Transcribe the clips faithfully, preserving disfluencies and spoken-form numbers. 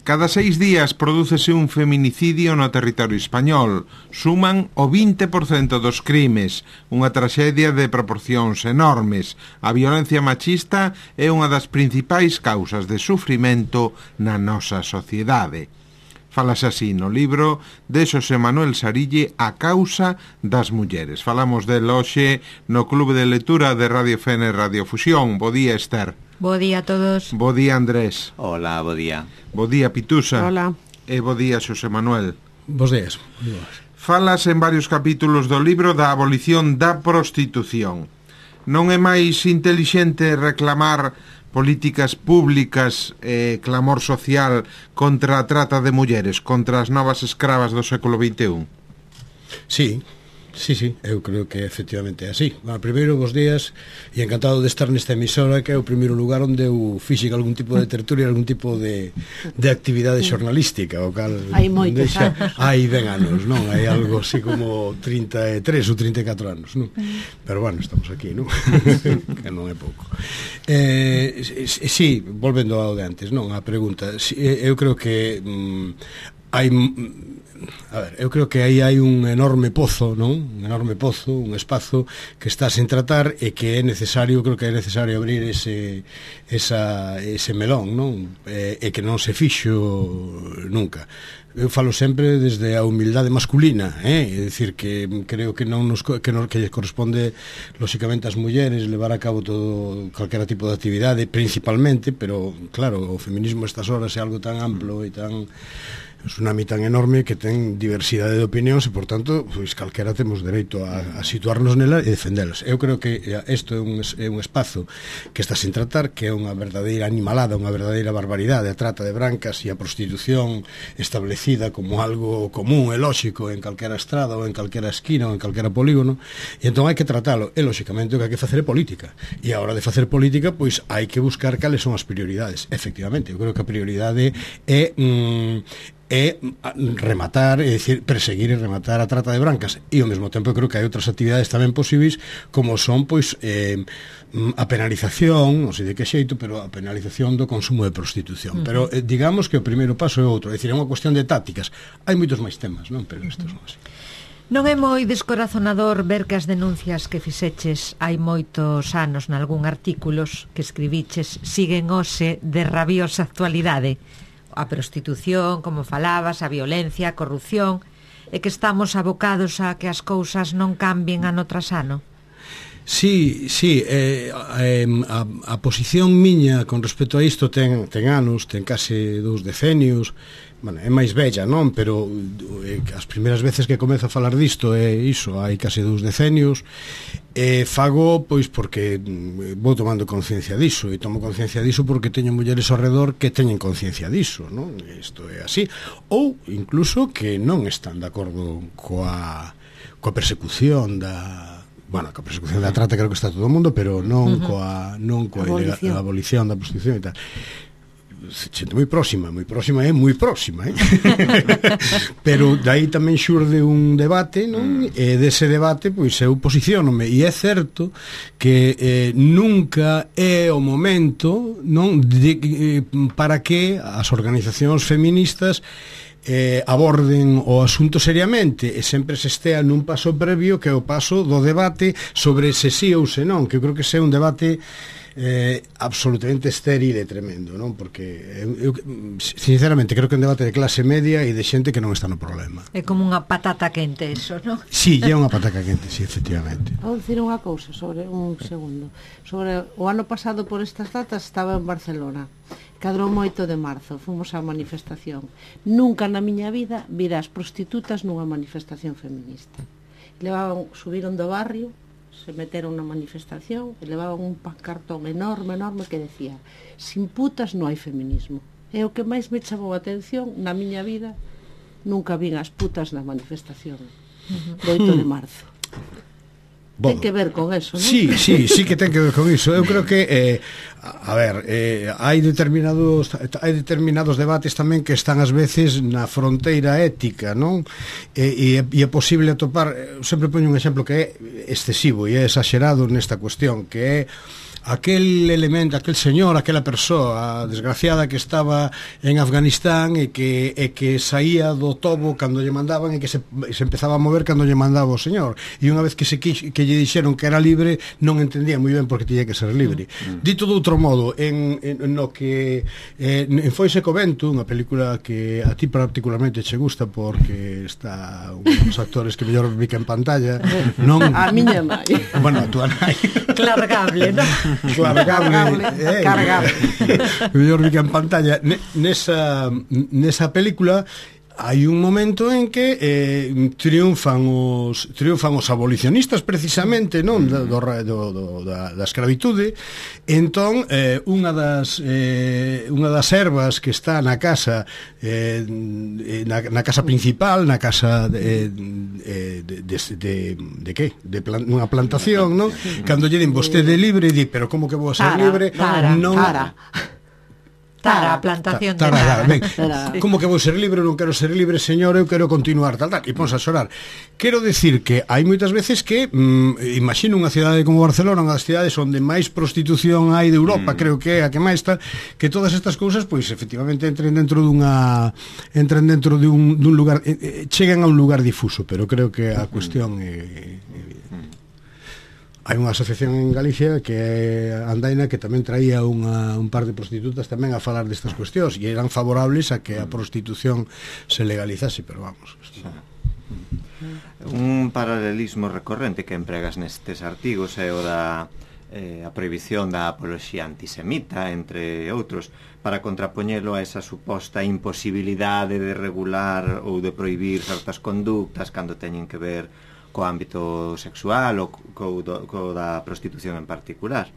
Cada seis días prodúcese un feminicidio no territorio español. Suman o vinte por cento dos crimes, unha traxedia de proporcións enormes. A violencia machista é unha das principais causas de sufrimento na nosa sociedade. Falase así no libro de Xosé Manuel Sarille, A causa das mulleres. Falamos del hoxe no Clube de Lectura de Radio Fene Radio Fusión. Bo día, Esther. Bo día a todos. Bo día, Andrés. Hola, bo día. Bo día, Pitusa. Hola. E bo día, Xosé Manuel. Bos días. Falas en varios capítulos do libro da abolición da prostitución. Non é máis intelixente reclamar políticas públicas e eh, clamor social contra a trata de mulleres, contra as novas escravas do século vinte e un? Sí, sí, sí, eu creo que efectivamente é así. Bueno, primeiro, bos días, e encantado de estar nesta emisora, que é o primeiro lugar onde eu fixen algún tipo de tertulia, algún tipo de, de actividade xornalística, o cal... Hai moitos deixa, anos. Hai ben anos, non? Hai algo así como trinta e tres ou trinta e catro anos, non? Pero bueno, estamos aquí, non? Que non é pouco. Eh, sí, volvendo ao de antes, non? A pregunta, sí, eu creo que mm, hai... A ver, eu creo que aí hai un enorme pozo, non? Un enorme pozo, un espazo que está sen tratar e que é necesario, creo que é necesario abrir ese esa, ese melón, non? E, e que non se fixo nunca. Eu falo sempre desde a humildade masculina, eh? É dicir, que creo que non nos que, non, que corresponde lóxicamente ás mulleres levar a cabo todo calquera tipo de actividade, principalmente, pero claro, o feminismo estas horas é algo tan amplo e tan... é un tsunami tan enorme que ten diversidade de opinións e, por tanto, pois calquera temos dereito a, a situarnos nela e defendelas. Eu creo que isto é un, é un espazo que está sin tratar, que é unha verdadeira animalada, unha verdadeira barbaridade, a trata de brancas e a prostitución establecida como algo común e lóxico en calquera estrada ou en calquera esquina ou en calquera polígono, e entón hai que tratalo. E, lóxicamente, o que hai que facer é política. E a hora de facer política, pois hai que buscar cales son as prioridades. Efectivamente, eu creo que a prioridade é... Mm, é rematar, é dicir, perseguir e rematar a trata de brancas, e ao mesmo tempo creo que hai outras actividades tamén posíveis, como son, pois, eh, a penalización, non sei de que xeito, pero a penalización do consumo de prostitución. Uh-huh. Pero eh, digamos que o primeiro paso é outro, é dicir, é unha cuestión de tácticas. Hai moitos máis temas, non? Pero estes son así. Non é moi descorazonador ver que as denuncias que fixeches hai moitos anos nalgún artículos que escribiches siguen hoxe de rabiosa actualidade? A prostitución, como falabas, a violencia, a corrupción, e que estamos abocados a que as cousas non cambien ano tras ano? Sí, sí, eh, eh, a, a posición miña con respecto a isto ten, ten anos, ten case dous decenios. Bueno, é máis bella, non? Pero eh, as primeiras veces que comezo a falar disto é iso, hai case dous decenios. E fago, pois, porque vou tomando conciencia diso, e tomo conciencia diso porque teño mulleres ao redor que teñen conciencia diso, non? Isto é así. Ou, incluso, que non están de acordo coa, coa persecución da... Bueno, coa persecución da trata creo que está todo o mundo, pero non uh-huh. coa, non coa abolición. Ilega, abolición da prostitución e tal. Xente moi próxima, moi próxima é moi próxima, eh? Pero dai tamén xurde un debate, non? E dese debate, pois eu posiciónome, e é certo que eh, nunca é o momento, non? De, eh, para que as organizacións feministas eh, aborden o asunto seriamente e sempre se estea nun paso previo que é o paso do debate sobre se sí ou se non, que eu creo que se é un debate eh, absolutamente estéril e tremendo, non? Porque eu, eu sinceramente creo que é un debate de clase media e de xente que non está no problema. É como unha patata quente eso, non? Sí, é unha patata quente, sí, efectivamente. Vou dicir unha cousa sobre un segundo. Sobre o ano pasado por estas datas estaba en Barcelona. Cadrou moito de marzo, fomos á manifestación. Nunca na miña vida vira as prostitutas nunha manifestación feminista. Levaban, subiron do barrio, se meteron na manifestación e levaban un pancartón enorme, enorme que decía: sin putas non hai feminismo. E o que máis me chamou a atención na miña vida, nunca vin as putas na manifestación do oito de marzo. Bon. Ten que ver con eso, non? Sí, sí, sí que ten que ver con iso. Eu creo que eh, a ver, eh, hai determinados hai determinados debates tamén que están ás veces na fronteira ética, non? E, e, e é posible atopar, sempre poño un exemplo que é excesivo e é exagerado nesta cuestión, que é aquel elemento, aquel señor, aquela persoa desgraciada que estaba en Afganistán e que, e que saía do tobo cando lle mandaban e que se, se empezaba a mover cando lle mandaba o señor, e unha vez que se quix, que lle dixeron que era libre non entendía moi ben porque tiña que ser libre. Mm. Dito de outro modo, en, en no que eh, en Foise co vento, unha película que a ti particularmente che gusta porque está un dos actores que mellor bica en pantalla, non a miña nai. Bueno, a tua nai. Clargable, non? Clargable, eh, cargable. Mellor bica en pantalla. Nesa nesa película hai un momento en que eh, triunfan os triunfan os abolicionistas precisamente, non, do, do, do, da, da escravitude. Entón eh, unha das eh, unha das servas que está na casa eh, na, na casa principal, na casa de de, de, de, de, de que? De plan, unha plantación, non? Cando lle din vostede libre, di, pero como que vou a ser Tara, libre? Tara, non Tara. Tara, a plantación de Tara, Tara. ben, como que vou ser libre, non quero ser libre, señor, eu quero continuar, tal, tal, e ponse a xorar. Quero decir que hai moitas veces que mm, imagino unha cidade como Barcelona, unha das cidades onde máis prostitución hai de Europa, mm. creo que é a que máis tal, que todas estas cousas, pois, efectivamente entren dentro dunha entren dentro de un, dun lugar, eh, chegan a un lugar difuso, pero creo que a cuestión é, é hai unha asociación en Galicia que é Andaina que tamén traía unha, un par de prostitutas tamén a falar destas cuestións e eran favorables a que a prostitución se legalizase, pero vamos. Un paralelismo recorrente que empregas nestes artigos é o da eh, a prohibición da apoloxía antisemita, entre outros, para contrapoñelo a esa suposta imposibilidade de regular ou de prohibir certas conductas cando teñen que ver co ámbito sexual ou co, do, co da prostitución en particular.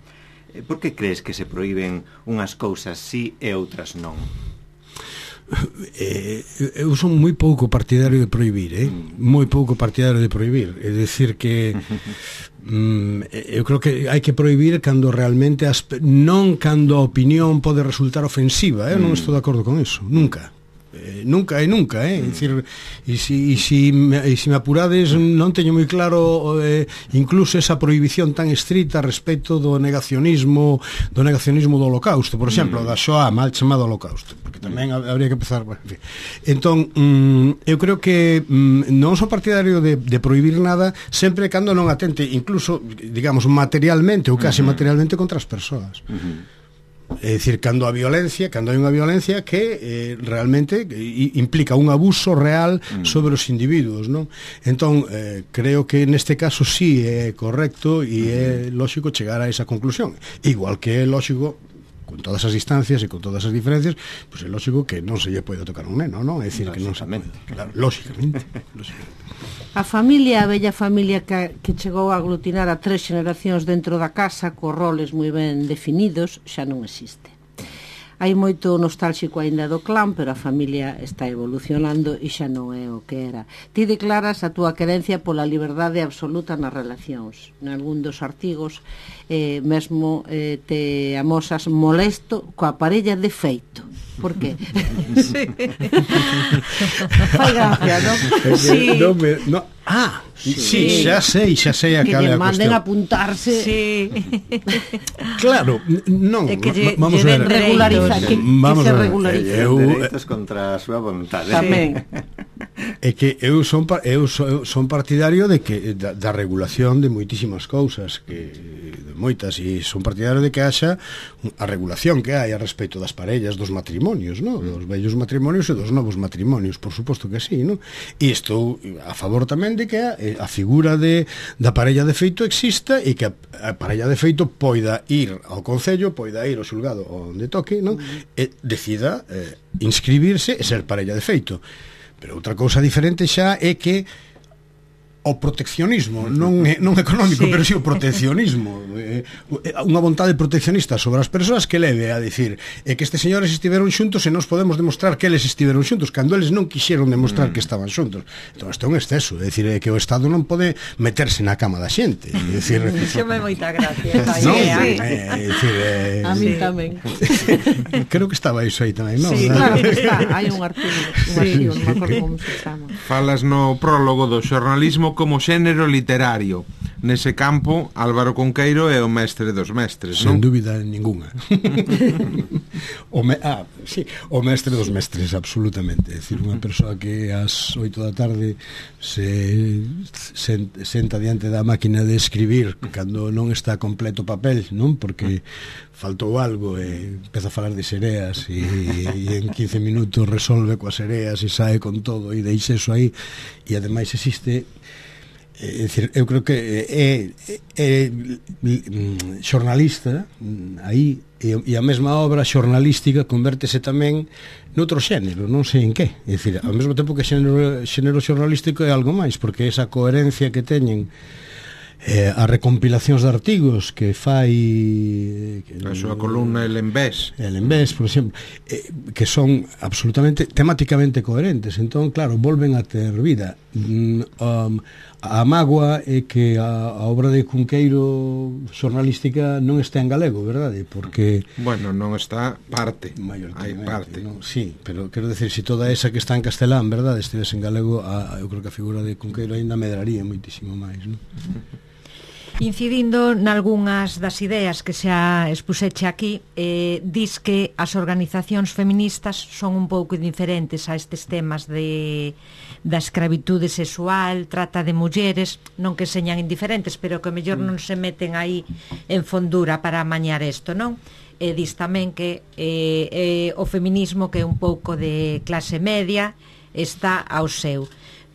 Por que crees que se proíben unhas cousas sí e outras non? Eh, eu son moi pouco partidario de prohibir, eh? Mm. moi pouco partidario de prohibir, é dicir que mm, eu creo que hai que prohibir cando realmente as, non cando a opinión pode resultar ofensiva, eu eh? mm. non estou de acordo con eso, nunca. Eh, nunca e nunca, eh? É dicir, e si, e si, e si me apurades non teño moi claro eh, incluso esa prohibición tan estrita respecto do negacionismo do negacionismo do holocausto, por exemplo, mm. da Shoah, mal chamado holocausto, porque tamén habría que empezar, bueno, en fin. Entón, mm, eu creo que mm, non son partidario de, de prohibir nada sempre cando non atente, incluso, digamos, materialmente ou casi mm-hmm. materialmente contra as persoas. Mm-hmm. É dicir, cando a violencia, cando hai unha violencia que eh, realmente implica un abuso real sobre os individuos, non? Entón, eh, creo que neste caso sí é correcto e é lógico chegar a esa conclusión. Igual que é lógico, con todas as distancias e con todas as diferencias, pois é lógico que non se lle pode tocar un neno, non? É dicir, que non se pode, claro, lógicamente, lógicamente. A familia, a bella familia que, que chegou a aglutinar a tres xeracións dentro da casa, co roles moi ben definidos, xa non existe. Hai moito nostálxico aínda do clan, pero a familia está evolucionando e xa non é o que era. Ti declaras a túa querencia pola liberdade absoluta nas relacións. Nalgún dos artigos eh, mesmo eh, te amosas molesto coa parella de feito. Por qué? Sí. Fai gracia, non? Sí. No me, no, ah, sí, sí, xa sei, xa sei a que cal é a lle manden cuestión. apuntarse. Sí. Claro, non, É que lle, vamos lle a ver. Regulariza, que, Vamos que se a ver. regulariza. Eu, Dereitos contra a súa vontade. Tamén. É que eu son eu son, son partidario de que da, da regulación de moitísimas cousas, que de moitas, e son partidario de que haxa a regulación que hai a respecto das parellas, dos matrimonios, ¿no? Dos vellos matrimonios e dos novos matrimonios, por suposto que sí, ¿no? E estou a favor tamén de que a, a figura de da parella de feito exista e que a, a parella de feito poida ir ao concello, poida ir ao xulgado onde toque, ¿no? E decida eh, inscribirse e ser parella de feito. Pero outra cousa diferente xa é que o proteccionismo, non é, non económico, sí. pero si sí o proteccionismo, eh, unha vontade proteccionista sobre as persoas que leve a dicir é que estes señores estiveron xuntos e nos podemos demostrar que eles estiveron xuntos cando eles non quixeron demostrar mm. que estaban xuntos. Entón, isto é un exceso, é dicir, é que o Estado non pode meterse na cama da xente, é dicir, Xome moita gracia. non, Sí. é, é dicir, é, A mí Sí. tamén. creo que estaba iso aí tamén, non? Sí, claro que está. Hai un artigo, un artigo, non me acordo como se chama. Falas no prólogo do xornalismo como xénero literario. nese campo Álvaro Cunqueiro é o mestre dos mestres, non? Sen dúbida ninguna. o me, ah, sí, o mestre dos mestres, absolutamente. É dicir, unha persoa que ás oito da tarde se, se senta diante da máquina de escribir cando non está completo o papel, non? Porque faltou algo e empeza a falar de sereas e, e en quince minutos resolve coas sereas e sae con todo e deixa eso aí. E ademais existe, é dicir, eu creo que é, é, é xornalista aí, e, e a mesma obra xornalística convértese tamén noutro xénero, non sei en que. É dicir, ao mesmo tempo que xénero, xénero xornalístico é algo máis, porque esa coherencia que teñen eh, as recompilacións de artigos que fai que, a súa columna El Envés El Envés, por exemplo, eh, que son absolutamente temáticamente coherentes. Entón, claro, volven a ter vida. mm, um, a mágoa é que a, a obra de Cunqueiro xornalística non está en galego, verdade? Porque bueno, non está parte, hai parte, non? Sí, pero quero decir, se si toda esa que está en castelán, verdade, estivese en galego, a, eu creo que a figura de Cunqueiro ainda medraría moitísimo máis, non? Incidindo nalgúnas das ideas que xa expuseche aquí, eh, dis que as organizacións feministas son un pouco diferentes a estes temas de da escravitude sexual, trata de mulleres, non que señan indiferentes, pero que mellor non se meten aí en fondura para amañar isto, non? E dis tamén que eh, eh, o feminismo, que é un pouco de clase media, está ao seu.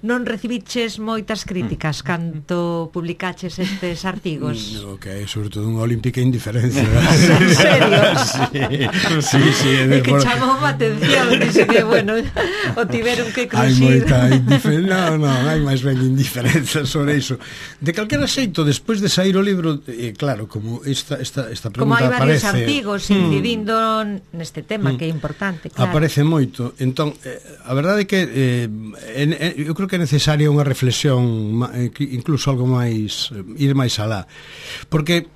Non recibiches moitas críticas cando publicaches estes artigos? No, que é sobre todo unha olímpica indiferencia. En serio? Sí, sí, sí. É que chamou a atención, dice que, bueno, o tiveron que cruxir. Hai moita indiferencia, non, non, hai máis ben indiferenza sobre iso. De calquera xeito, despois de sair o libro, eh, claro, como esta, esta, esta pregunta aparece... Como hai varios aparece, artigos incidindo mm, neste tema, mm, que é importante, claro. Aparece moito. Entón, eh, a verdade é que eh, en, en, eu creo que é necesaria unha reflexión, incluso algo máis, ir máis alá, porque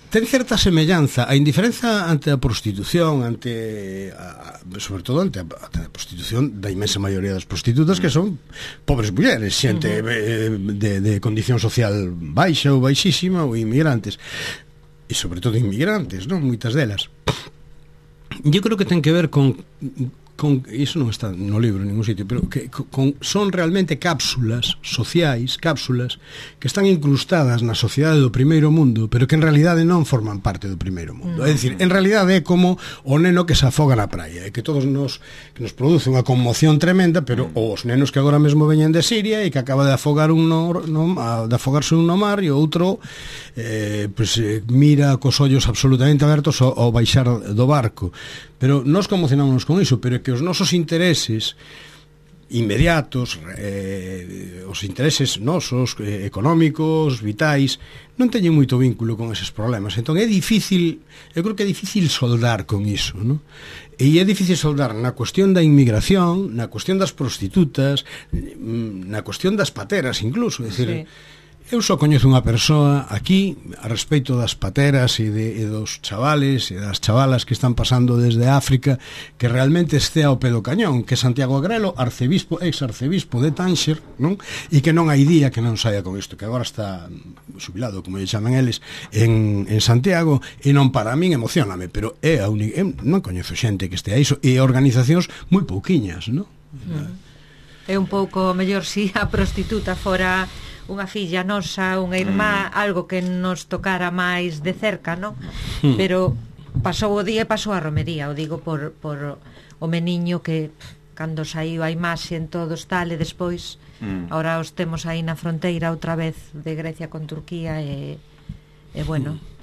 ten certa semellanza a indiferenza ante a prostitución, ante a, sobre todo ante a, ante a prostitución da inmensa maioría das prostitutas, que son pobres mulleres, xente uh-huh. de, de condición social baixa ou baixísima, ou inmigrantes, e sobre todo inmigrantes, non? Moitas delas. Eu creo que ten que ver con con, iso non está no libro en ningún sitio, pero que con, son realmente cápsulas sociais, cápsulas que están incrustadas na sociedade do primeiro mundo, pero que en realidade non forman parte do primeiro mundo. No. É dicir, en realidade é como o neno que se afoga na praia, e que todos nos que nos produce unha conmoción tremenda, pero mm. os nenos que agora mesmo veñen de Siria e que acaba de afogar un no, no, a, de afogarse un no mar, e outro eh, pues, eh, mira cos ollos absolutamente abertos ao, ao baixar do barco. Pero nós conmocionámonos con iso, pero é que os nosos intereses inmediatos, eh, os intereses nosos, eh, económicos, vitais, non teñen moito vínculo con eses problemas. Entón é difícil, eu creo que é difícil soldar con iso, non? E é difícil soldar na cuestión da inmigración, na cuestión das prostitutas, na cuestión das pateras incluso, é dicir, sí. Eu só coñezo unha persoa aquí a respecto das pateras e, de, e dos chavales e das chavalas que están pasando desde África, que realmente este ao pé do cañón, que é Santiago Agrelo, arcebispo, ex-arcebispo de Tánxer, non? E que non hai día que non saia con isto, que agora está xubilado, como lle chaman eles, en, en Santiago, e non para min emocioname, pero é a única, non coñezo xente que este a iso, e organizacións moi pouquiñas, non? Mm. É un pouco mellor si a prostituta fora unha filla nosa, unha irmá, mm. algo que nos tocara máis de cerca, non? Mm. Pero pasou o día e pasou a romería, o digo por, por o meniño que cando saiu a imaxe en todos tal, e despois mm. ahora os temos aí na fronteira outra vez de Grecia con Turquía, e, e bueno... Mm.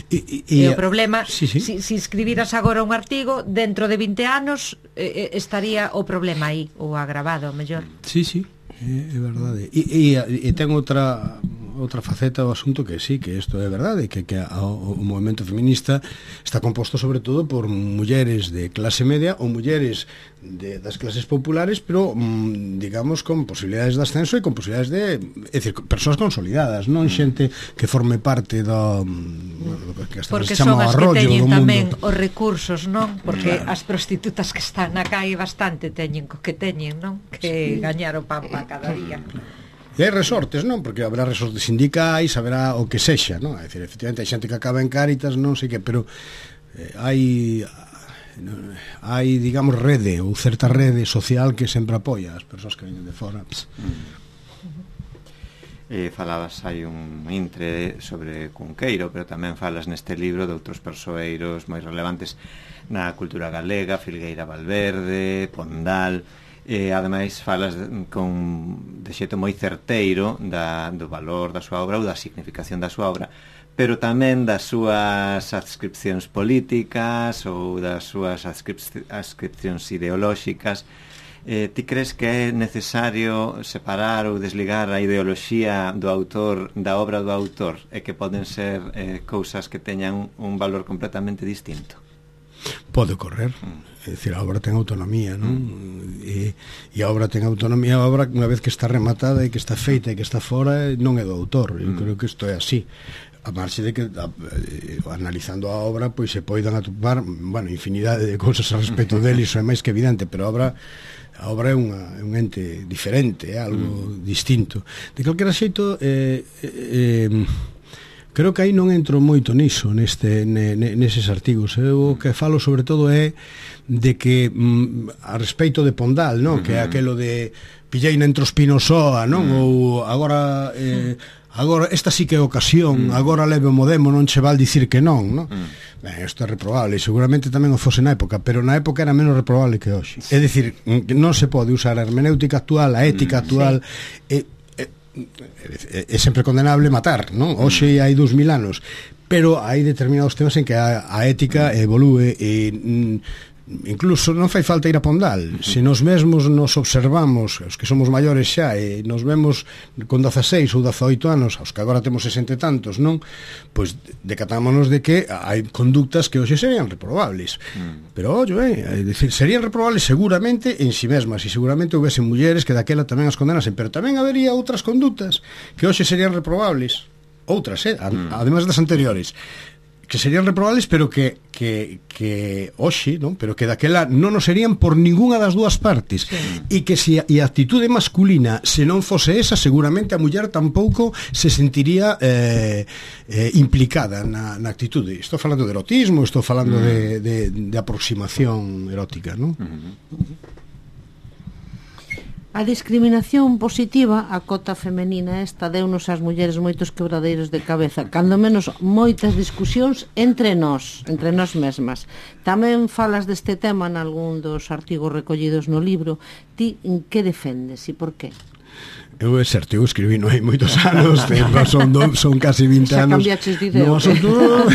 E, e, e o problema, sí, sí. Si, si escribiras agora un artigo, dentro de vinte anos eh, estaría o problema aí, ou agravado, mellor. Sí, sí. É, é verdade. E, e, e ten outra outra faceta do asunto que sí, que isto é verdade, que, que a, o, o movimento feminista está composto sobre todo por mulleres de clase media ou mulleres de, das clases populares, pero mm, digamos con posibilidades de ascenso e con posibilidades de, é dicir, persoas consolidadas, non xente que forme parte do, do que hasta porque se chama son as arroyo que teñen tamén mundo. Os recursos, non? Porque claro. As prostitutas que están na calle bastante teñen co que teñen, non? Que sí. Gañar o pan para cada día. E hai resortes, non? Porque haberá resortes sindicais, haberá o que sexa, non? É dicir, efectivamente, hai xente que acaba en Cáritas, non sei que, pero eh, hai hai, digamos, rede ou certa rede social que sempre apoia as persoas que veñen de fora. Mm. Eh, falabas hai un intre sobre Cunqueiro, pero tamén falas neste libro de outros persoeiros moi relevantes na cultura galega, Filgueira Valverde, Pondal. E ademais falas de, con, de xeito moi certeiro da, do valor da súa obra ou da significación da súa obra, pero tamén das súas adscripcións políticas ou das súas adscripcións ideolóxicas. Eh, ti crees que é necesario separar ou desligar a ideoloxía do autor da obra do autor e que poden ser eh, cousas que teñan un valor completamente distinto? Pode ocorrer, mm. é dicir, a obra ten autonomía, non? Mm. E, e a obra ten autonomía, a obra unha vez que está rematada e que está feita e que está fora non é do autor, eu mm. creo que isto é así. A marxe de que a, eh, analizando a obra pois se poidan atopar, bueno, infinidade de cousas a respecto dele, iso é máis que evidente, pero a obra a obra é, unha, é un ente diferente, é algo mm. distinto. De calquera xeito eh, eh, creo que aí non entro moito niso neste, ne, neses artigos. Eu o que falo sobre todo é de que mm, a respeito de Pondal, non? Mm-hmm. Que é aquelo de pilleina entre os pinos soa, non? Mm. Ou agora eh, agora esta sí que é ocasión, mm. agora leve o modemo, non che val dicir que non, non? Mm. Ben, isto é reprobable, seguramente tamén o fose na época, pero na época era menos reprobable que hoxe. Sí. É dicir, non se pode usar a hermenéutica actual, a ética mm, actual, sí. é, é, é sempre condenable matar, non? Hoxe hai dous mil anos, pero hai determinados temas en que a, a ética evolúe e mm, incluso non fai falta ir a Pondal. Se nos mesmos nos observamos, os que somos maiores xa, e nos vemos con dezaseis ou dezaoito anos, os que agora temos sesenta e tantos, non? Pois decatámonos de que hai conductas que hoxe serían reprobables. Mm. Pero, ollo, eh, decir, serían reprobables seguramente en si mesmas, e seguramente houvese mulleres que daquela tamén as condenasen, pero tamén habería outras condutas que hoxe serían reprobables. Outras, eh? Mm. Además das anteriores, que serían reprobables, pero que que, que hoxe, non? Pero que daquela non nos serían por ningunha das dúas partes. Sí. E que se a, e a actitude masculina se non fose esa, seguramente a muller tampouco se sentiría eh, eh, implicada na, na actitude. Estou falando de erotismo, estou falando mm. de, de, de aproximación erótica, non? Mm-hmm. A discriminación positiva, a cota femenina esta, deunos ás mulleres moitos quebradeiros de cabeza, cando menos moitas discusións entre nós, entre nós mesmas. Tamén falas deste tema en algún dos artigos recollidos no libro. Ti, en que defendes e por qué? Eu é certo, eu escribí non hai moitos anos, son, do, son casi vinte xa anos. Xa cambiaches de idea. No, son todo...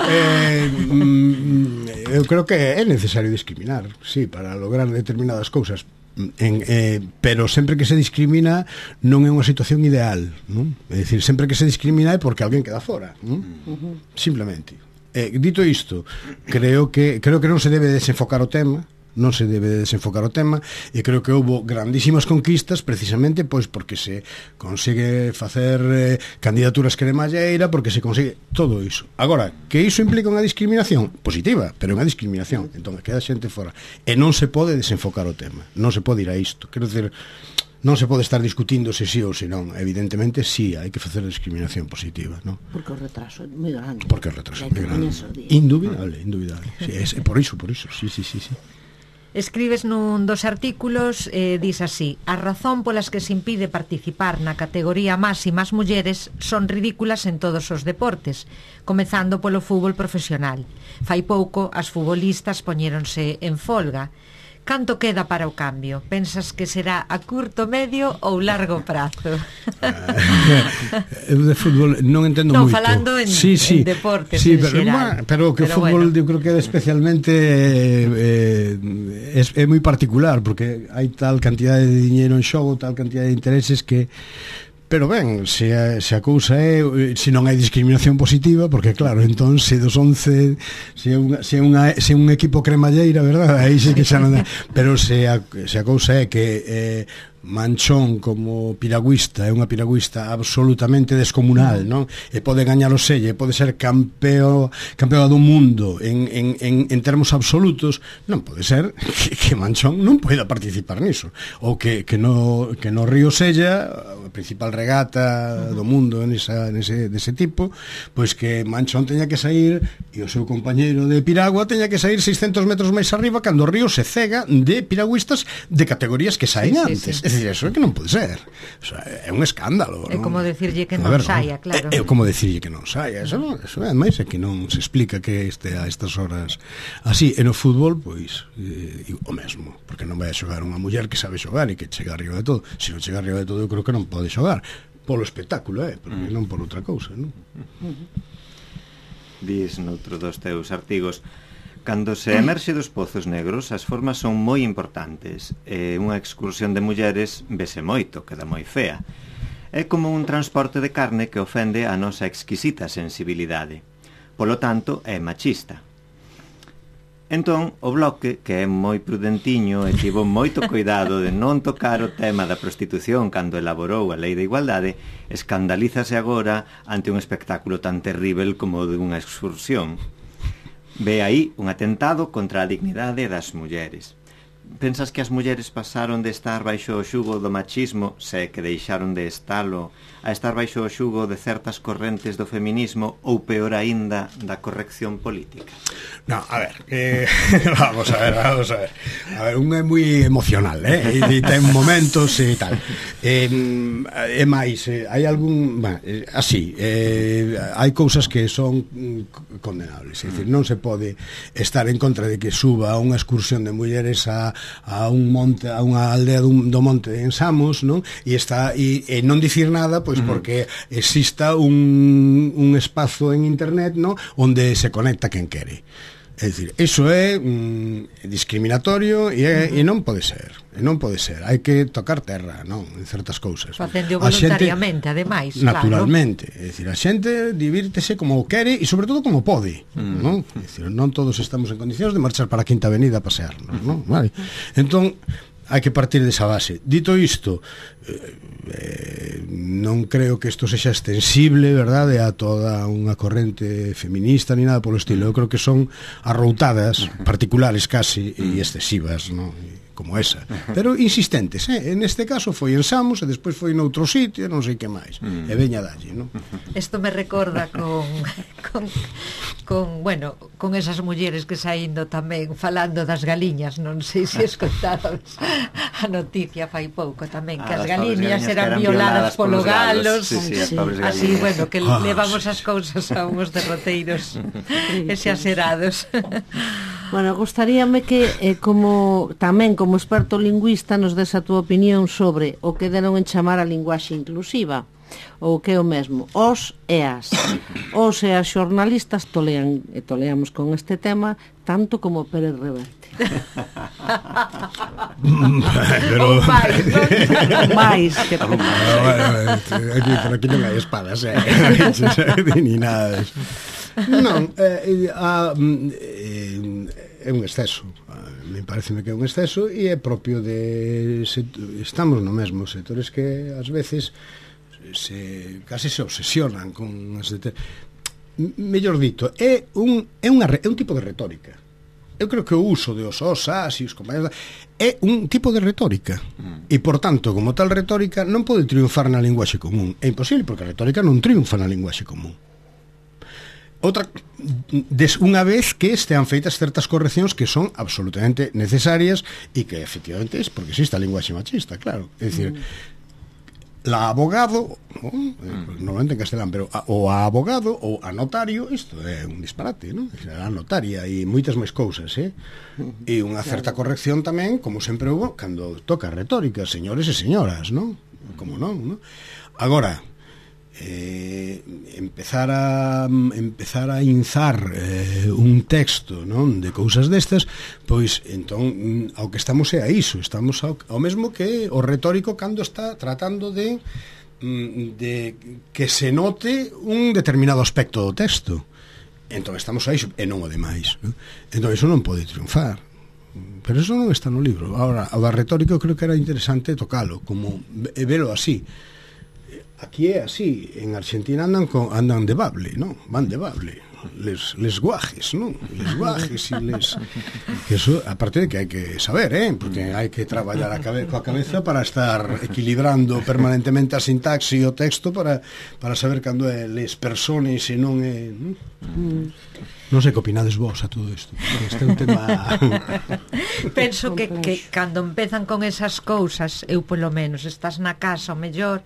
eh, mm, eu creo que é necesario discriminar, sí, para lograr determinadas cousas. En, eh, pero sempre que se discrimina non é unha situación ideal, non? É dicir, sempre que se discrimina é porque alguén queda fora, non? Uh-huh. Simplemente. Eh, dito isto, creo que creo que non se debe desenfocar o tema, non se debe desenfocar o tema, e creo que houbo grandísimas conquistas precisamente pois porque se consigue facer eh, candidaturas cremalleira, porque se consigue todo iso. Agora, que iso implica unha discriminación positiva, pero unha discriminación, entón queda xente fora, e non se pode desenfocar o tema, non se pode ir a isto, quero dizer, non se pode estar discutindo se sí ou se non. Evidentemente sí, hai que facer discriminación positiva, non? Porque o retraso é moi grande. Porque o retraso é moi grande. Indubidable, indubidable. Sí, é, é por iso, por iso, sí, sí, sí, sí. Escribes nun dos artículos, eh, dis así: a razón polas que se impide participar na categoría máxima as mulleres son ridículas en todos os deportes, comezando polo fútbol profesional. Fai pouco as futbolistas poñéronse en folga. Canto queda para o cambio? Pensas que será a curto, medio ou largo prazo? Eu de fútbol non entendo non, moito. Non, falando en, sí, sí, en deportes sí, en pero, xeral. Pero que pero o fútbol bueno. Eu creo que é especialmente eh, é, é moi particular, porque hai tal cantidade de diñeiro en xogo, tal cantidade de intereses que... Pero ben, se a, se a cousa é, se non hai discriminación positiva, porque claro, entón se dos once, se é unha, se é unha, se é un equipo cremalleira, verdad? Aí sí que xa non dá. Pero se a, se a cousa é que eh, Manchón como piragüista é unha piragüista absolutamente descomunal, non? E pode gañar o selle, pode ser campeo, campeón do mundo en, en, en, en termos absolutos, non pode ser que, que Manchón non poida participar niso, ou que, que, no, que no Río Sella, a principal regata do mundo nesa, nese, dese tipo, pois que Manchón teña que sair e o seu compañeiro de piragua teña que sair seiscentos metros máis arriba cando o río se cega de piragüistas de categorías que saen sí, antes. Sí, sí. É dicir, eso é que non pode ser. O sea, é un escándalo. É non? como decirlle que non saia, claro. É, é como decirlle que non saia. Eso, non, eso é máis é que non se explica que este a estas horas así. E no fútbol, pois, eh, o mesmo. Porque non vai a xogar unha muller que sabe xogar e que chega arriba de todo. Se non chega arriba de todo, eu creo que non pode xogar. Polo espectáculo, eh? Porque mm. non por outra cousa, non? Dis noutro dos teus artigos: cando se emerxe dos pozos negros, as formas son moi importantes e unha excursión de mulleres vese moito, queda moi fea. É como un transporte de carne que ofende a nosa exquisita sensibilidade. Polo tanto, é machista. Entón, o Bloque, que é moi prudentiño e tivo moito cuidado de non tocar o tema da prostitución cando elaborou a Lei de Igualdade, escandalízase agora ante un espectáculo tan terrível como o de unha excursión. Ve aí un atentado contra a dignidade das mulleres. Pensas que as mulleres pasaron de estar baixo o xugo do machismo, se que deixaron de estalo, a estar baixo o xugo de certas correntes do feminismo ou, peor aínda, da corrección política? No, a ver, eh, vamos a ver, vamos a ver. A ver, un é moi emocional, eh? E ten momentos e tal. Eh, é máis, eh, hai algún... Bah, eh, así, eh, hai cousas que son condenables. É dicir, non se pode estar en contra de que suba unha excursión de mulleres a, a un monte, a unha aldea do, do monte en Samos, non? E está e, e non dicir nada, pois porque exista un, un espazo en internet, non? Onde se conecta quen quere. É dicir, iso é mm, discriminatorio e, é, e non pode ser, e non pode ser. Hai que tocar terra, non, en certas cousas. Facendo voluntariamente, xente, ademais, naturalmente, claro. É dicir, a xente divírtese como quere e sobre todo como pode, mm. non? É dicir, non todos estamos en condicións de marchar para a Quinta Avenida a pasearnos, non? Vale. Entón, hai que partir desa base. Dito isto, eh, eh, non creo que isto sexa extensible, verdade, a toda unha corrente feminista ni nada polo estilo. Eu creo que son arroutadas particulares casi e excesivas, non? Como esa, pero insistentes, eh? En este caso foi en Samos e despois foi noutro sitio, non sei que máis, mm. e veña dalle, non? Isto me recorda con, con, con, bueno, con esas mulleres que saindo tamén falando das galiñas, non sei se escotaron a noticia fai pouco tamén, que ah, as galiñas eran, eran violadas polo galos, sí, sí, sí. Así, bueno, que ah, levamos as cousas a uns derroteiros exaserados. Bueno, gostaríame que eh, como tamén como experto lingüista nos des a túa opinión sobre o que deron en chamar a linguaxe inclusiva, ou que é o mesmo, os e as. Os e as xornalistas tolean e toleamos con este tema tanto como Pérez Reverte. Pero máis, non? máis que no, bueno, aquí, por aquí non hai espadas, eh? Ni nada de eso. Non, eh, a, eh, é un exceso. Me pareceme que é un exceso e é propio de estamos no mesmo sectores que ás veces se casi se obsesionan con as de, mellor dito, é un é unha é un tipo de retórica. Eu creo que o uso de os os, as e os compañeros é un tipo de retórica. Mm. E, por tanto, como tal retórica non pode triunfar na linguaxe común. É imposible, porque a retórica non triunfa na linguaxe común. Outra, des, unha vez que estean feitas certas correccións que son absolutamente necesarias e que efectivamente é porque existe a linguaxe machista, claro. É dicir, mm. la abogado, ¿no? Mm. normalmente en castelán, pero a, o a abogado ou a notario, isto é un disparate, ¿no? A notaria e moitas máis cousas, eh? Mm. E unha certa corrección tamén, como sempre hubo, cando toca retórica, señores e señoras, ¿no? Como non, ¿no? Agora, eh, empezar a empezar a inzar eh, un texto, non, de cousas destas, pois entón ao que estamos é a iso, estamos ao, ao mesmo que o retórico cando está tratando de de que se note un determinado aspecto do texto. Entón estamos a iso e non o demais, non? Entón iso non pode triunfar. pero eso non está no libro. Ahora, a da retórica eu creo que era interesante tocalo, como e velo así. Aquí é así, en Argentina andan con, andan de bable, non? Van de bable. Les, les guajes, non? Les guajes e les... Que eso, aparte de que hai que saber, eh? Porque hai que traballar a cabe, coa cabeza para estar equilibrando permanentemente a sintaxe e o texto para, para saber cando é les personas e non é... Non, non sei que opinades vos a todo isto. Este é un tema... Penso que, que cando empezan con esas cousas, eu polo menos, estás na casa, o mellor...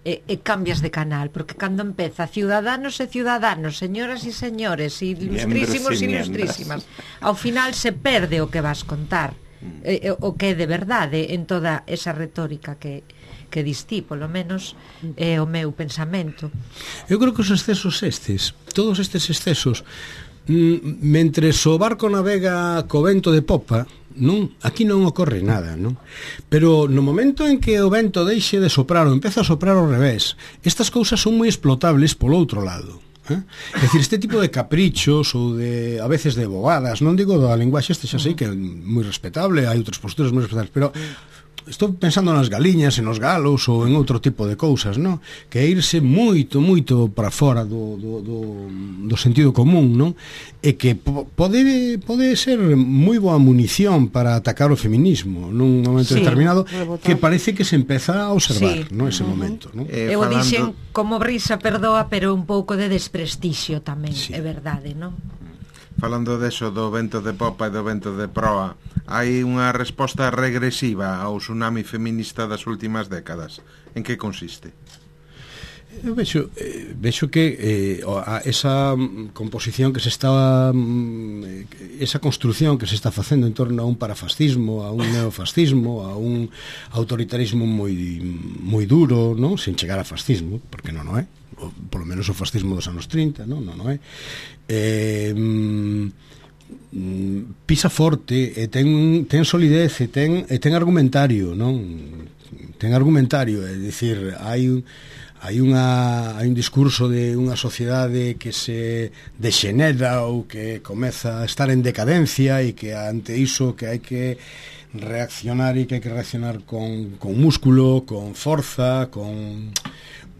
E, e cambias de canal, porque cando empeza ciudadanos e ciudadanos, señoras e señores, ilustrísimos e ilustrísimas, ao final se perde o que vas contar, e, o que é de verdade en toda esa retórica que, que distí, polo menos é o meu pensamento. Eu creo que os excesos estes, todos estes excesos, mentres o barco navega co vento de popa, non, aquí non ocorre nada, non? Pero no momento en que o vento deixe de soprar ou empeza a soprar ao revés, estas cousas son moi explotables polo outro lado, eh? É dicir, este tipo de caprichos ou de, a veces de bobadas, non digo da linguaxe, este xa sei que é moi respetable, hai outras posturas moi respetables, pero estou pensando nas galiñas e nos galos ou en outro tipo de cousas, non? Que é irse moito, moito para fora do, do, do, do sentido común, non? E que pode, pode ser moi boa munición para atacar o feminismo nun momento sí, determinado que parece que se empeza a observar, sí, non? Ese uh -huh. momento, non? Eh, Eu falando... dixen como brisa perdoa, pero un pouco de desprestixio tamén, sí. É verdade, non? Falando deso do vento de popa e do vento de proa, hai unha resposta regresiva ao tsunami feminista das últimas décadas. En que consiste? Eu vexo, eh, vexo que eh, esa composición que se está esa construción que se está facendo en torno a un parafascismo, a un neofascismo, a un autoritarismo moi moi duro, non? Sen chegar a fascismo, porque non o é, o, polo menos o fascismo dos anos trinta, non, non o é. Eh, mm, pisa forte e ten, ten solidez e ten, e ten argumentario, non? Ten argumentario, é dicir, hai un hai unha hai un discurso de unha sociedade que se dexenera ou que comeza a estar en decadencia e que ante iso que hai que reaccionar e que hai que reaccionar con, con músculo, con forza, con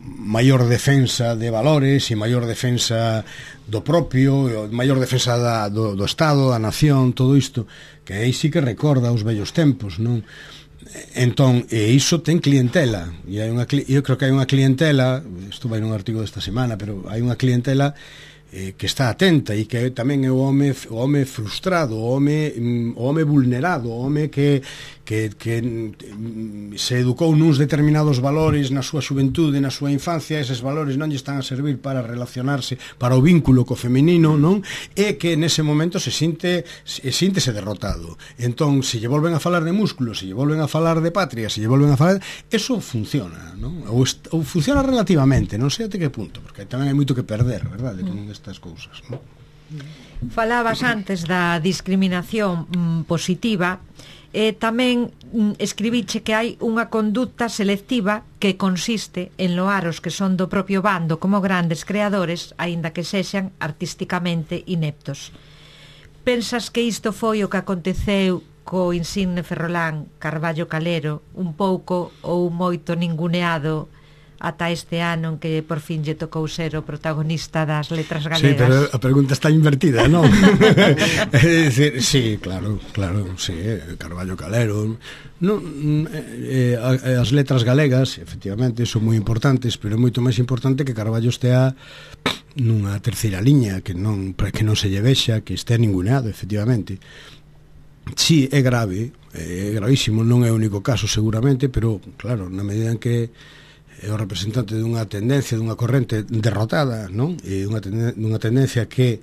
maior defensa de valores e maior defensa do propio, maior defensa da, do, do Estado, da nación, todo isto, que aí sí que recorda os vellos tempos, non? Entón, e iso ten clientela, e hai unha, eu creo que hai unha clientela, isto vai nun artigo desta semana, pero hai unha clientela eh, que está atenta e que tamén é o home, o home frustrado, o home, o home vulnerado, o home que, que, que se educou nuns determinados valores na súa xuventude, na súa infancia, eses valores non lle están a servir para relacionarse, para o vínculo co feminino, non? E que nese momento se sinte se síntese derrotado. Entón, se lle volven a falar de músculos, se lle volven a falar de patria, se lle volven a falar, eso funciona, non? Ou, ou funciona relativamente, non sei até que punto, porque tamén hai moito que perder, verdade, con estas cousas, non? Falabas antes da discriminación mm, positiva. E tamén mm, escribiche que hai unha conducta selectiva que consiste en loar os que son do propio bando como grandes creadores, aínda que sexan artísticamente ineptos. Pensas que isto foi o que aconteceu co insigne ferrolán Carballo Calero, un pouco ou moito ninguneado ata este ano en que por fin lle tocou ser o protagonista das letras galegas? Sí, pero a pregunta está invertida, non? É dicir, sí, claro, claro, sí, Carballo Calero. Non, eh, as letras galegas, efectivamente, son moi importantes, pero é moito máis importante que Carballo estea nunha terceira liña, que non, para que non se lle vexa, que estea ninguneado, efectivamente. Sí, é grave, é gravísimo, non é o único caso seguramente, pero claro, na medida en que é o representante dunha tendencia, dunha corrente derrotada, non? E unha, tenden unha tendencia que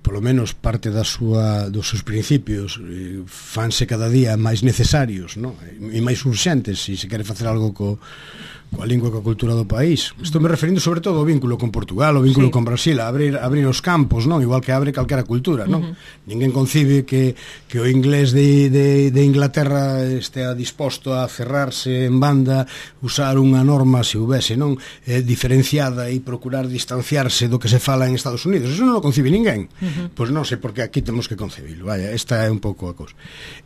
polo menos parte da súa, dos seus principios eh, fanse cada día máis necesarios, non? E máis urxentes se se quere facer algo co, coa lingua e coa cultura do país. Estou me referindo sobre todo ao vínculo con Portugal, o vínculo sí. con Brasil, a abrir, abrir os campos, non? Igual que abre calquera cultura, non? Uh -huh. Ninguén concibe que, que o inglés de, de, de Inglaterra estea disposto a cerrarse en banda, usar unha norma, se houvese, non? Eh, diferenciada e procurar distanciarse do que se fala en Estados Unidos. Eso non o concibe ninguén. Uh-huh. Pois non sei, porque aquí temos que concebilo, vaya, esta é un pouco a cousa.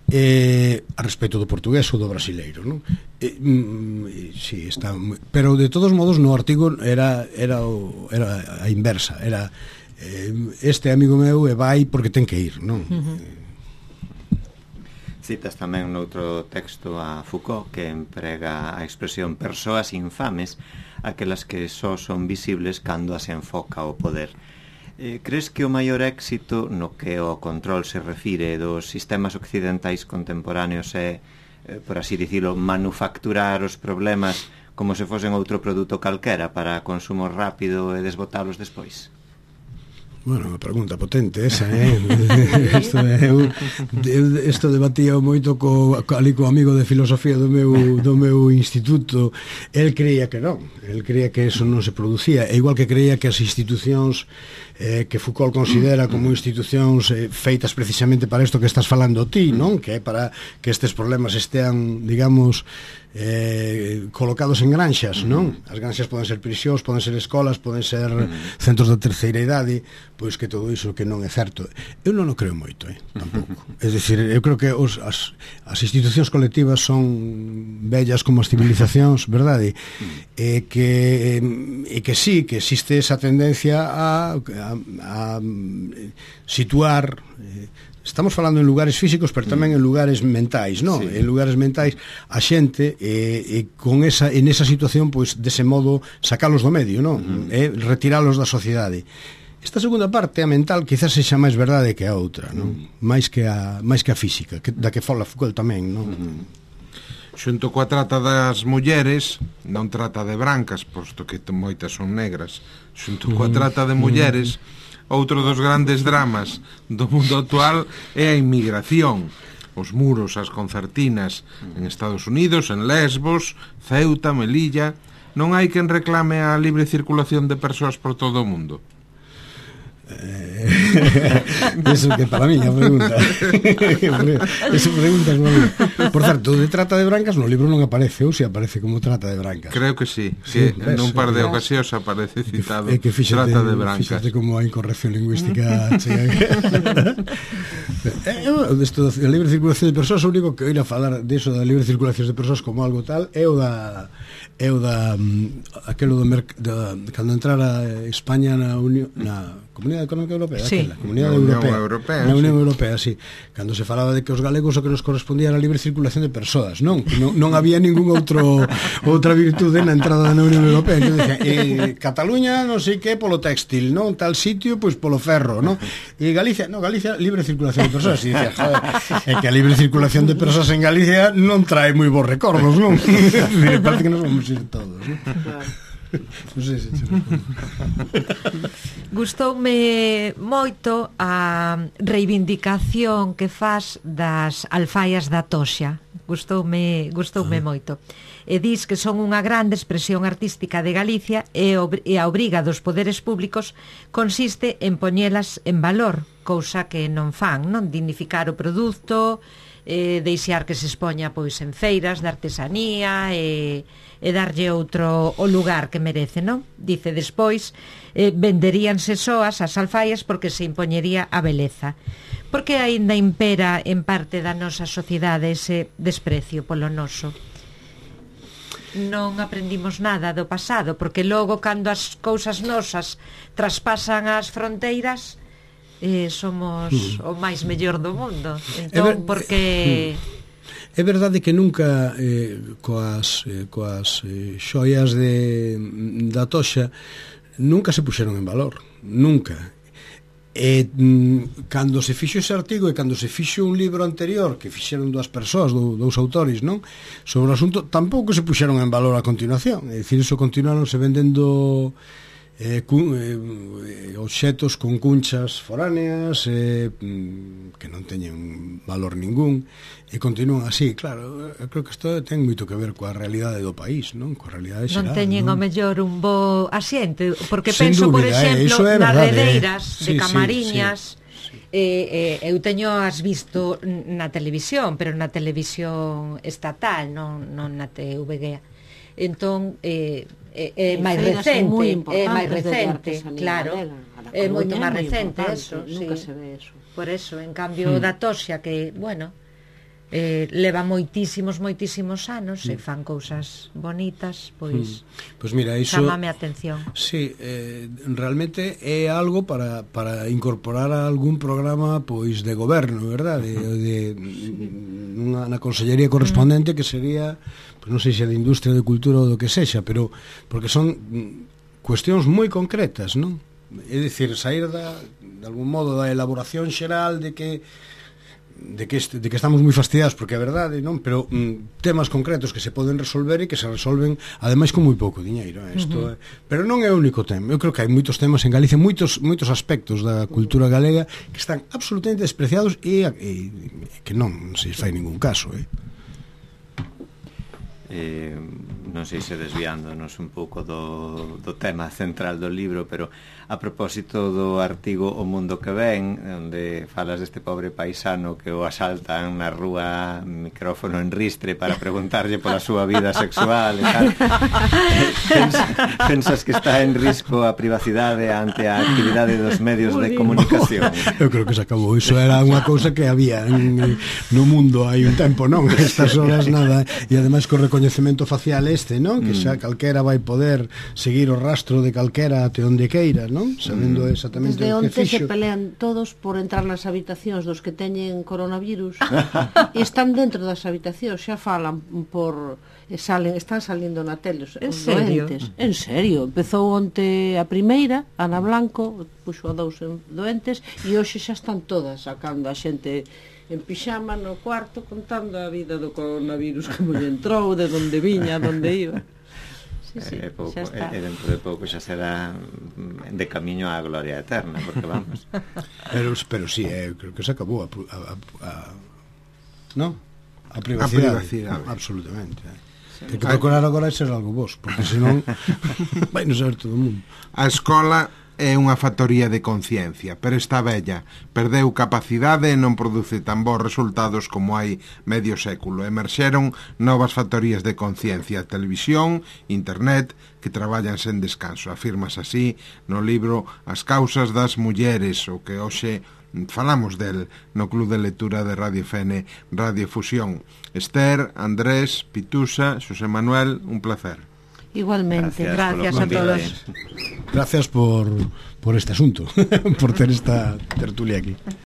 Eh, a respecto do portugués ou do brasileiro, non? Eh, mm, sí, está moi... Pero de todos modos no artigo era, era, o, era a inversa, era eh, este amigo meu e vai porque ten que ir, non? Uh-huh. Citas tamén noutro texto a Foucault, que emprega a expresión persoas infames, aquelas que só son visibles cando as enfoca o poder. Eh, crees que o maior éxito no que o control se refire dos sistemas occidentais contemporáneos é, eh, por así dicilo, manufacturar os problemas como se fosen outro produto calquera para consumo rápido e desbotalos despois? Bueno, unha pregunta potente esa, eh? Isto é eu, isto debatía moito co, ali co amigo de filosofía do meu, do meu instituto. El creía que non, el creía que eso non se producía, e igual que creía que as institucións eh, que Foucault considera como institucións eh, feitas precisamente para isto que estás falando ti, non? Que é para que estes problemas estean, digamos, eh, colocados en granxas, non? As granxas poden ser prisións, poden ser escolas, poden ser centros da terceira idade, pois que todo iso que non é certo. Eu non o creo moito, eh, tampouco. É dicir, eu creo que os, as, as institucións colectivas son bellas como as civilizacións, verdade? E que, e que sí, que existe esa tendencia a, a, a situar... Eh, estamos falando en lugares físicos, pero tamén en lugares mentais, non? Sí. En lugares mentais a xente e, e con esa en esa situación, pois dese modo sacalos do medio, non? Uh-huh. E retiralos da sociedade. Esta segunda parte, a mental, quizás sexa máis verdade que a outra, non? Uh-huh. Máis que a máis que a física, que, da que fala Foucault tamén, non? Uh-huh. Xunto coa trata das mulleres, non trata de brancas, posto que moitas son negras. Xunto coa trata de mulleres, outro dos grandes dramas do mundo actual é a inmigración. Os muros, as concertinas en Estados Unidos, en Lesbos, Ceuta, Melilla. Non hai quen reclame a libre circulación de persoas por todo o mundo? Eh, eso que para mí a pregunta esa pregunta es muy... Por certo, de trata de brancas no libro non aparece, ou se aparece como trata de brancas. Creo que sí, sí, que en un par de ocasións aparece citado é que fíxate, trata de brancas. Fíxate como a incorrección lingüística eh, Esto da libre circulación de persoas, o único que oír a falar deso da libre circulación de persoas como algo tal é o da é o da aquelo do, da, cando entrara España na Unión, na Comunidade Económica Europea, sí. Aquela, Comunidade Unión Europea, Europea, na Unión sí. Europea, sí. Cando se falaba de que os galegos o que nos correspondía era a libre circulación de persoas, non? Non, non había ningún outro outra virtude na entrada na Unión Europea. Entón, decía, eh, Cataluña, non sei que, polo textil, non? Tal sitio, pois polo ferro, non? E Galicia, non, Galicia, libre circulación de persoas. E dicía, joder, é que a libre circulación de persoas en Galicia non trae moi bons recordos, non? Parece que nos vamos ir todos, non? Claro. Non sei se Gustoume moito a reivindicación que fas das alfaias da toxa. Gustoume, gustoume ah. moito. E dis que son unha grande expresión artística de Galicia e, e a obriga dos poderes públicos consiste en poñelas en valor, cousa que non fan, non? Dignificar o produto, eh, deixar que se expoña pois en feiras de artesanía e, e darlle outro o lugar que merece, non? Dice despois, eh, venderíanse soas as alfaias porque se impoñería a beleza. Porque aínda impera en parte da nosa sociedade ese desprecio polo noso? Non aprendimos nada do pasado, porque logo cando as cousas nosas traspasan as fronteiras, eh, somos mm. o máis mellor do mundo. Entón, porque... É verdade que nunca eh, coas, eh, coas eh, xoias de, da toxa nunca se puxeron en valor, nunca. E mm, cando se fixo ese artigo e cando se fixo un libro anterior que fixeron dúas persoas, dous, dous autores, non? Sobre o asunto, tampouco se puxeron en valor a continuación. É dicir, iso continuaron se vendendo eh, cun, eh, obxetos con cunchas foráneas eh, que non teñen valor ningún e continúan así. Claro, eu creo que isto ten moito que ver coa realidade do país, non? Coa realidade xeral, non teñen non? o mellor un bo asiente, porque Sen penso, dúbida, por exemplo, eh, nas verdade, redeiras eh? de sí, Camariñas, sí, sí. Eh, eh, eu teño as visto na televisión, pero na televisión estatal, non, non na T V G. Entón, eh, é, é máis feiras recente, moi é máis importantes de recente, artesanía claro. galega. A da É moito Coruña máis moi recente importante, eso, nunca sí. se ve eso. Por eso, en cambio, da Toxia, que, bueno, eh, leva moitísimos, moitísimos anos e fan cousas bonitas, pois Pois mira, iso chamame a atención. Sí, eh, realmente é algo para, para incorporar a algún programa pois de goberno, verdad? De, de unha, na consellería correspondente que sería, pois non sei se de industria, de cultura ou do que sexa, pero porque son mm, cuestións moi concretas, non? É dicir, sair da, de algún modo da elaboración xeral de que de que, este, de que estamos moi fastidiados porque é verdade, non? Pero mm, temas concretos que se poden resolver e que se resolven ademais con moi pouco diñeiro, eh? Isto uh -huh. é, pero non é o único tema. Eu creo que hai moitos temas en Galicia, moitos moitos aspectos da cultura galega que están absolutamente despreciados e, e, e que non se fai ningún caso, eh? Eh, non sei se desviándonos un pouco do, do tema central do libro, pero a propósito do artigo O Mundo que Ven, onde falas deste pobre paisano que o asaltan na rúa, micrófono en ristre para preguntarlle pola súa vida sexual e tal. Pensas, pensas que está en risco a privacidade ante a actividade dos medios de comunicación? Eu creo que se acabou. Iso era unha cousa que había en, no mundo hai un tempo, non? Estas horas nada, e ademais co recoñecemento facial este, non? Que xa calquera vai poder seguir o rastro de calquera até onde queira, non? Sabendo exactamente Desde o que onte se fixo. pelean todos por entrar nas habitacións dos que teñen coronavirus e están dentro das habitacións, xa falan por e salen, están salindo na tele os En os serio? doentes. En serio, empezou onte a primeira, Ana Blanco puxo a dous doentes e hoxe xa están todas sacando a xente en pixama no cuarto contando a vida do coronavirus, como lle entrou, de onde viña, onde iba. Sí, sí, é pouco, xa está. e dentro de pouco xa será de camiño á gloria eterna, porque vamos. Pero, pero sí, eh, creo que se acabou a, a, a, a ¿no? A privacidade, A privacidade. absolutamente, eh. Ten que procurar agora ser algo vos, porque senón vai non saber todo o mundo. A escola é unha factoría de conciencia, pero está bella, perdeu capacidade e non produce tan bons resultados como hai medio século. Emerxeron novas factorías de conciencia, televisión, internet, que traballan sen descanso. Afirmas así no libro As causas das mulleres, o que hoxe falamos del no Club de Lectura de Radio F N, Radio Fusión. Esther, Andrés, Pitusa, Xosé Manuel, un placer. Igualmente. Gracias a todos. Gracias por, por este asunto, por ter esta tertulia aquí.